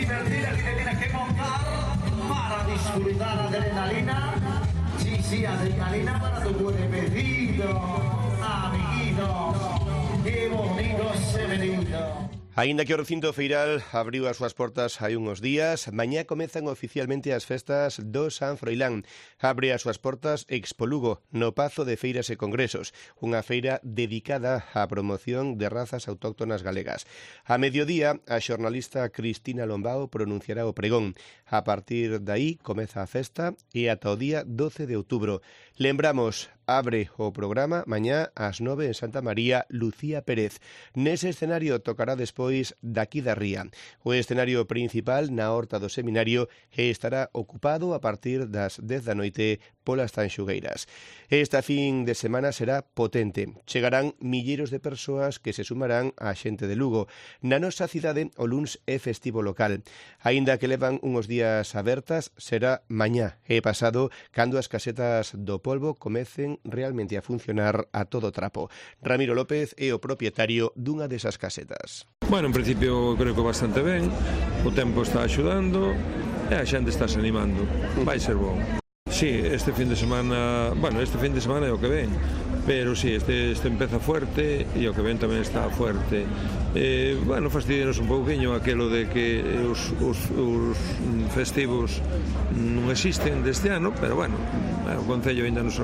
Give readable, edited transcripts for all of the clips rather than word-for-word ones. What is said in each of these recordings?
divertida que te tienes que montar para disfrutar adrenalina. Sí, adrenalina para tu cuerpecito, amiguito. Qué bonito ese menino. Aínda que o recinto feiral abriu as súas portas hai unhos días, mañá comezan oficialmente as festas do San Froilán. Abre as súas portas Expo Lugo, no Pazo de Feiras e Congresos, unha feira dedicada á promoción de razas autóctonas galegas. A mediodía, a xornalista Cristina Lombao pronunciará o pregón. A partir de aí comeza a festa e ata o día 12 de outubro. Lembramos, abre o programa mañá ás 9 en Santa María Lucía Pérez. Nese escenario tocará despois daqui da Ría. O escenario principal na Horta do Seminario estará ocupado a partir das 10 da noite polas Tanxugueiras. Esta fin de semana será potente. Chegarán milleiros de persoas que se sumarán á xente de Lugo. Na nosa cidade o luns é festivo local. Aínda que levan uns días abertas, será mañá e pasado cando as casetas do polvo comecen realmente a funcionar a todo trapo. Ramiro López é o propietario dunha desas casetas. Bueno, en principio creo que bastante ben, o tempo está axudando e a xente está se animando, vai ser bom. Sí, este fin de semana é o que ven, pero sí, este empeza fuerte e o que ven tamén está fuerte. Fastidianos un pouquiño aquelo de que os festivos non existen deste ano, pero o Concello ainda nos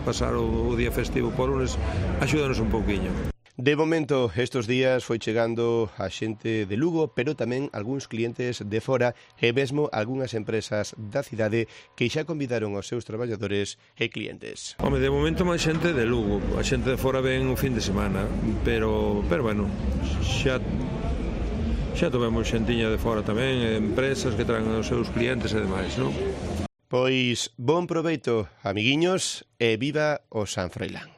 pasar o día festivo por lunes axúdanos un pouquiño. De momento, estes días foi chegando a xente de Lugo, pero tamén algúns clientes de fora e mesmo algunhas empresas da cidade que xa convidaron aos seus traballadores e clientes. Home, de momento máis xente de Lugo, a xente de fora ven o fin de semana, pero xa tovemos xentiña de fora tamén, empresas que traen os seus clientes e demais, non? Pois, bon proveito, amiguiños, e viva o San Froilán.